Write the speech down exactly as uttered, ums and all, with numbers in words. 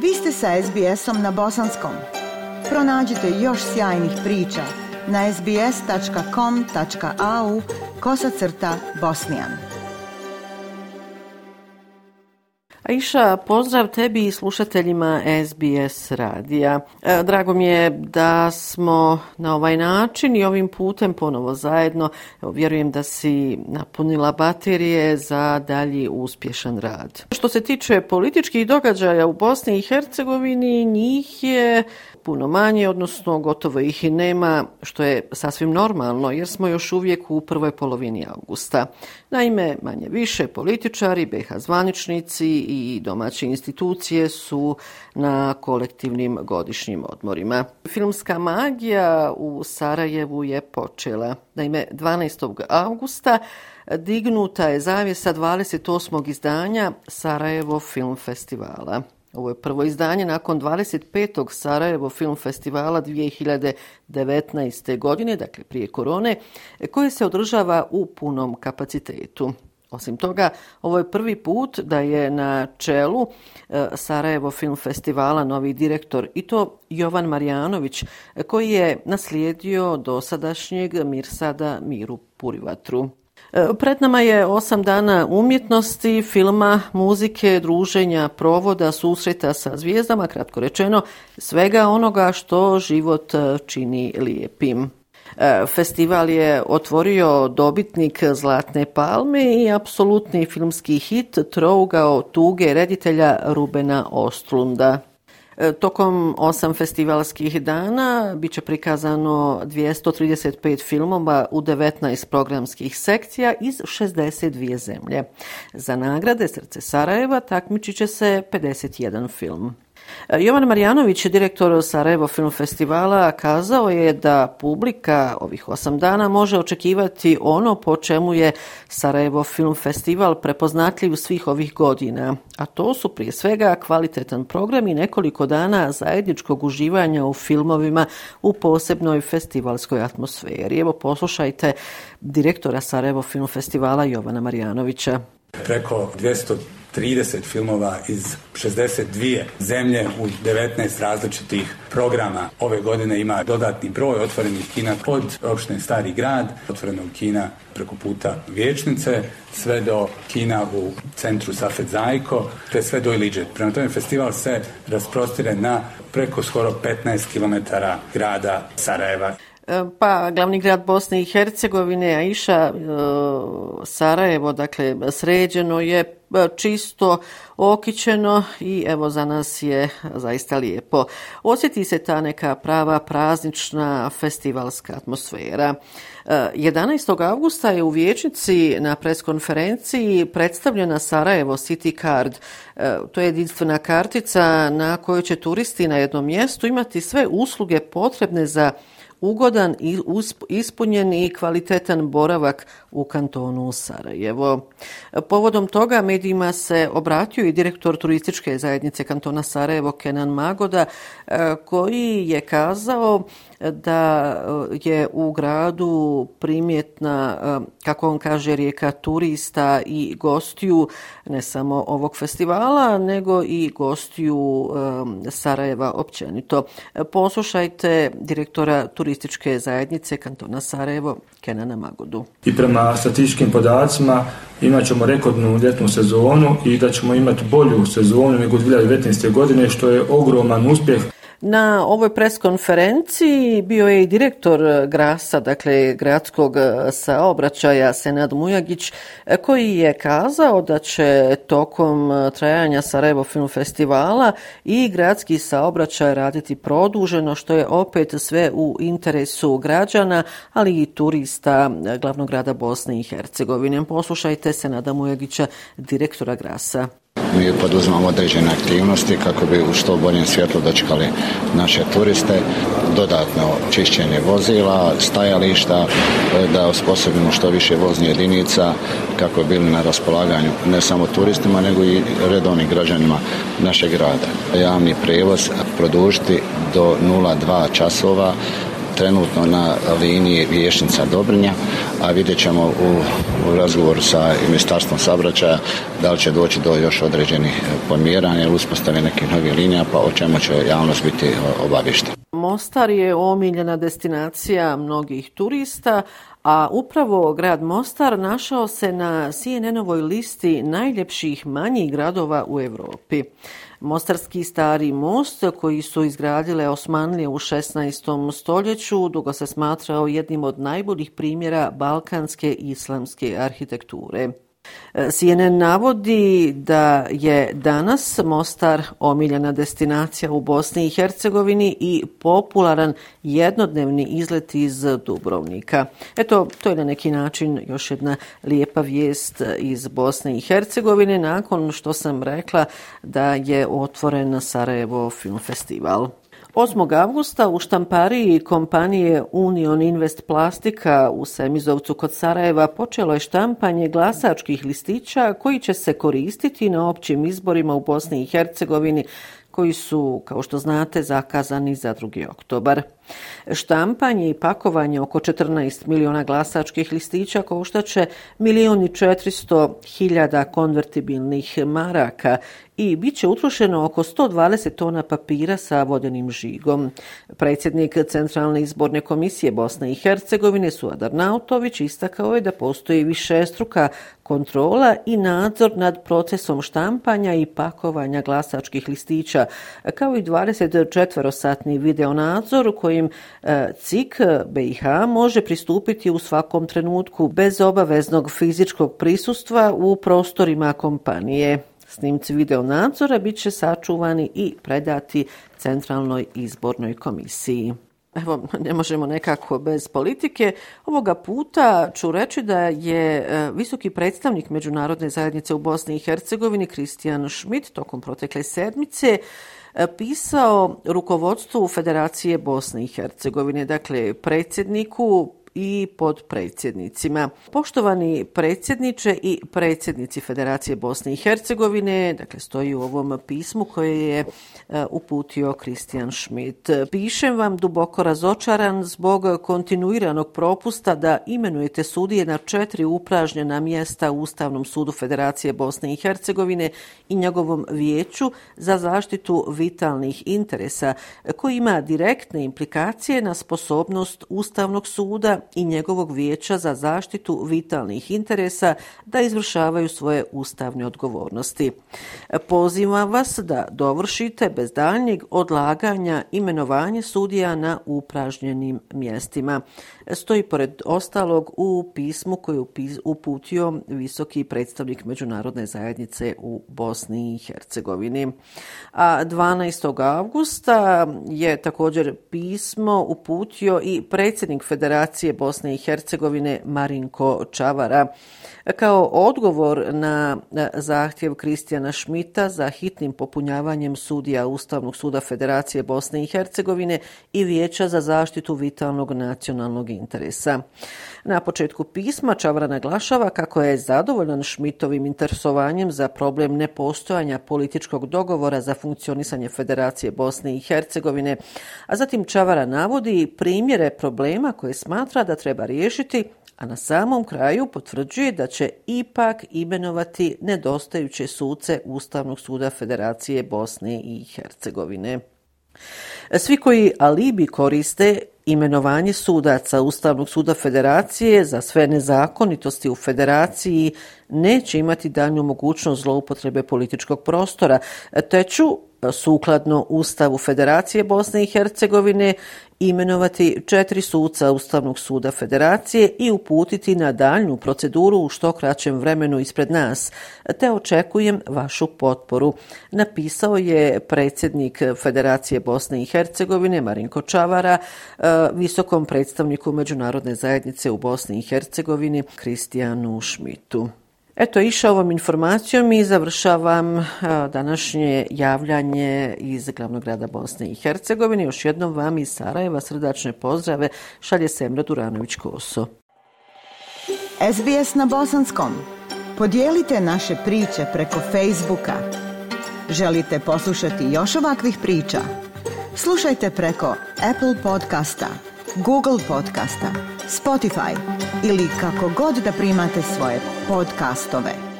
Vi ste sa es be esom na bosanskom. Pronađite još sjajnih priča na es be es tačka com tačka a u kosacrta bosnijan. Aisha, pozdrav tebi i slušateljima es be es radija. Drago mi je da smo na ovaj način i ovim putem ponovo zajedno. Evo, vjerujem da si napunila baterije za dalji uspješan rad. Što se tiče političkih događaja u Bosni i Hercegovini, njih je puno manje, odnosno gotovo ih i nema, što je sasvim normalno jer smo još uvijek u prvoj polovini avgusta. Naime, manje više političari, be ha zvaničnici i domaće institucije su na kolektivnim godišnjim odmorima. Filmska magija u Sarajevu je počela. Naime, dvanaestog avgusta dignuta je zavjesa dvadeset osmog izdanja Sarajevo film festivala. Ovo je prvo izdanje nakon dvadeset petog Sarajevo film festivala dvije hiljade devetnaeste. godine, dakle prije korone, koje se održava u punom kapacitetu. Osim toga, ovo je prvi put da je na čelu Sarajevo film festivala novi direktor, i to Jovan Marjanović, koji je naslijedio dosadašnjeg Mirsada Miru Purivatru. Pred nama je osam dana umjetnosti, filma, muzike, druženja, provoda, susreta sa zvijezdama, kratko rečeno, svega onoga što život čini lijepim. Festival je otvorio dobitnik Zlatne palme i apsolutni filmski hit Trougao tuge reditelja Rubena Ostlunda. Tokom osam festivalskih dana bit će prikazano dvjesto trideset pet filmova u devetnaest programskih sekcija iz šezdeset dvije zemlje. Za nagrade Srce Sarajeva takmičit će se pedeset jedan film. Jovan Marjanović, direktor Sarajevo film festivala, kazao je da publika ovih osam dana može očekivati ono po čemu je Sarajevo film festival prepoznatljiv svih ovih godina, a to su prije svega kvalitetan program i nekoliko dana zajedničkog uživanja u filmovima u posebnoj festivalskoj atmosferi. Evo, poslušajte direktora Sarajevo film festivala Jovana Marjanovića. Preko dvjesto trideset filmova iz šezdeset dvije zemlje u devetnaest različitih programa. Ove godine ima dodatni broj otvorenih kina od opštine Stari grad, otvorenog kina preko puta Vijećnice, sve do kina u centru Safet Zajko, te sve do Iliđe. Prema tome festival se rasprostire na preko skoro petnaest kilometara grada Sarajeva. Pa, glavni grad Bosne i Hercegovine, Aisha, Sarajevo, dakle, sređeno je, čisto, okićeno i evo za nas je zaista lijepo. Osjeti se ta neka prava praznična festivalska atmosfera. jedanaestog avgusta je u Vijećnici na preskonferenciji predstavljena Sarajevo City Card. To je jedinstvena kartica na kojoj će turisti na jednom mjestu imati sve usluge potrebne za ugodan i ispunjen i kvalitetan boravak u kantonu Sarajevo. Povodom toga medijima se obratio i direktor turističke zajednice kantona Sarajevo Kenan Magoda, koji je kazao da je u gradu primjetna, kako on kaže, rijeka turista i gostiju ne samo ovog festivala, nego i gostiju Sarajeva općenito. Poslušajte direktora turističke zajednice kantona Sarajevo Kenana Magodu. I prema statističkim podacima imat ćemo rekordnu ljetnu sezonu i da ćemo imati bolju sezonu nego dvije hiljade devetnaeste. godine, što je ogroman uspjeh. Na ovoj preskonferenciji bio je i direktor Grasa, dakle gradskog saobraćaja, Senad Mujagić, koji je kazao da će tokom trajanja Sarajevo film festivala i gradski saobraćaj raditi produženo, što je opet sve u interesu građana, ali i turista glavnog grada Bosne i Hercegovine. Poslušajte Senada Mujagića, direktora Grasa. Mi poduzimamo određene aktivnosti kako bi u što boljem svjetlu dočekali naše turiste, dodatno čišćenje vozila, stajališta, da osposobimo što više voznih jedinica kako bi bili na raspolaganju ne samo turistima nego i redovnim građanima našeg grada. Javni prijevoz produžiti do nula dva časova, trenutno na liniji Vijećnica Dobrinja, a vidjet ćemo u u razgovoru sa Ministarstvom saobraćaja da li će doći do još određenih pomjeranja ili uspostave nekih novih linija, pa o čemu će javnost biti obavještena. Mostar je omiljena destinacija mnogih turista, a upravo grad Mostar našao se na C N N-ovoj listi najljepših manjih gradova u Europi. Mostarski stari most, koji su izgradile Osmanlije u šesnaestom stoljeću, dugo se smatrao jednim od najboljih primjera balkanske islamske arhitekture. C N N navodi da je danas Mostar omiljena destinacija u Bosni i Hercegovini i popularan jednodnevni izlet iz Dubrovnika. Eto, to je na neki način još jedna lijepa vijest iz Bosne i Hercegovine nakon što sam rekla da je otvoren Sarajevo Film Festival. osmog avgusta u štampariji kompanije Union Invest Plastika u Semizovcu kod Sarajeva počelo je štampanje glasačkih listića koji će se koristiti na općim izborima u Bosni i Hercegovini koji su, kao što znate, zakazani za drugi oktobar. Štampanje i pakovanje oko četrnaest miliona glasačkih listića koštaće milion i četiristo hiljada konvertibilnih maraka i bit će utrošeno oko sto dvadeset tona papira sa vodenim žigom. Predsjednik Centralne izborne komisije Bosne i Hercegovine Suad Arnautović istakao je da postoji višestruka kontrola i nadzor nad procesom štampanja i pakovanja glasačkih listića, kao i dvadesetčetverosatni video nadzor kojim C I K B i H može pristupiti u svakom trenutku bez obaveznog fizičkog prisustva u prostorima kompanije. Snimci video nadzora bit će sačuvani i predati Centralnoj izbornoj komisiji. Evo, ne možemo nekako bez politike. Ovoga puta ću reći da je visoki predstavnik Međunarodne zajednice u Bosni i Hercegovini Christian Schmidt tokom protekle sedmice pisao rukovodstvu Federacije Bosne i Hercegovine, dakle predsjedniku i podpredsjednicima. Poštovani predsjedniče i predsjednici Federacije Bosne i Hercegovine, dakle stoji u ovom pismu koje je uputio Christian Schmidt. Pišem vam duboko razočaran zbog kontinuiranog propusta da imenujete sudije na četiri upražnjena mjesta u Ustavnom sudu Federacije Bosne i Hercegovine i njegovom vijeću za zaštitu vitalnih interesa, koji ima direktne implikacije na sposobnost Ustavnog suda i njegovog vijeća za zaštitu vitalnih interesa da izvršavaju svoje ustavne odgovornosti. Pozivam vas da dovršite bez daljnjeg odlaganja imenovanje sudija na upražnjenim mjestima. Stoji pored ostalog u pismu koje je uputio visoki predstavnik Međunarodne zajednice u Bosni i Hercegovini. A dvanaestog avgusta je također pismo uputio i predsjednik Federacije Bosne i Hercegovine Marinko Čavara. Kao odgovor na zahtjev Kristijana Schmidta za hitnim popunjavanjem sudija Ustavnog suda Federacije Bosne i Hercegovine i Vijeća za zaštitu vitalnog nacionalnog interesa. Na početku pisma Čavara naglašava kako je zadovoljan Schmidtovim interesovanjem za problem nepostojanja političkog dogovora za funkcionisanje Federacije Bosne i Hercegovine, a zatim Čavara navodi primjere problema koje smatra da treba riješiti, a na samom kraju potvrđuje da će ipak imenovati nedostajuće suce Ustavnog suda Federacije Bosne i Hercegovine. Svi koji alibi koriste imenovanje sudaca Ustavnog suda Federacije za sve nezakonitosti u Federaciji neće imati daljnju mogućnost zloupotrebe političkog prostora, te ću sukladno Ustavu Federacije Bosne i Hercegovine imenovati četiri suca Ustavnog suda Federacije i uputiti na daljnju proceduru u što kraćem vremenu ispred nas, te očekujem vašu potporu, napisao je predsjednik Federacije Bosne i Hercegovine Marinko Čavara visokom predstavniku Međunarodne zajednice u Bosni i Hercegovini Kristijanu Schmidtu. Eto, išao ovom informacijom i završavam današnje javljanje iz glavnog grada Bosne i Hercegovine. Još jednom vam iz Sarajeva srdačne pozdrave šalje Semra Duranović-Koso. S B S na bosanskom. Podijelite naše priče preko Facebooka. Želite poslušati još ovakvih priča? Slušajte preko Apple podcasta, Google podcasta, Spotify ili kako god da primate svoje podcastove.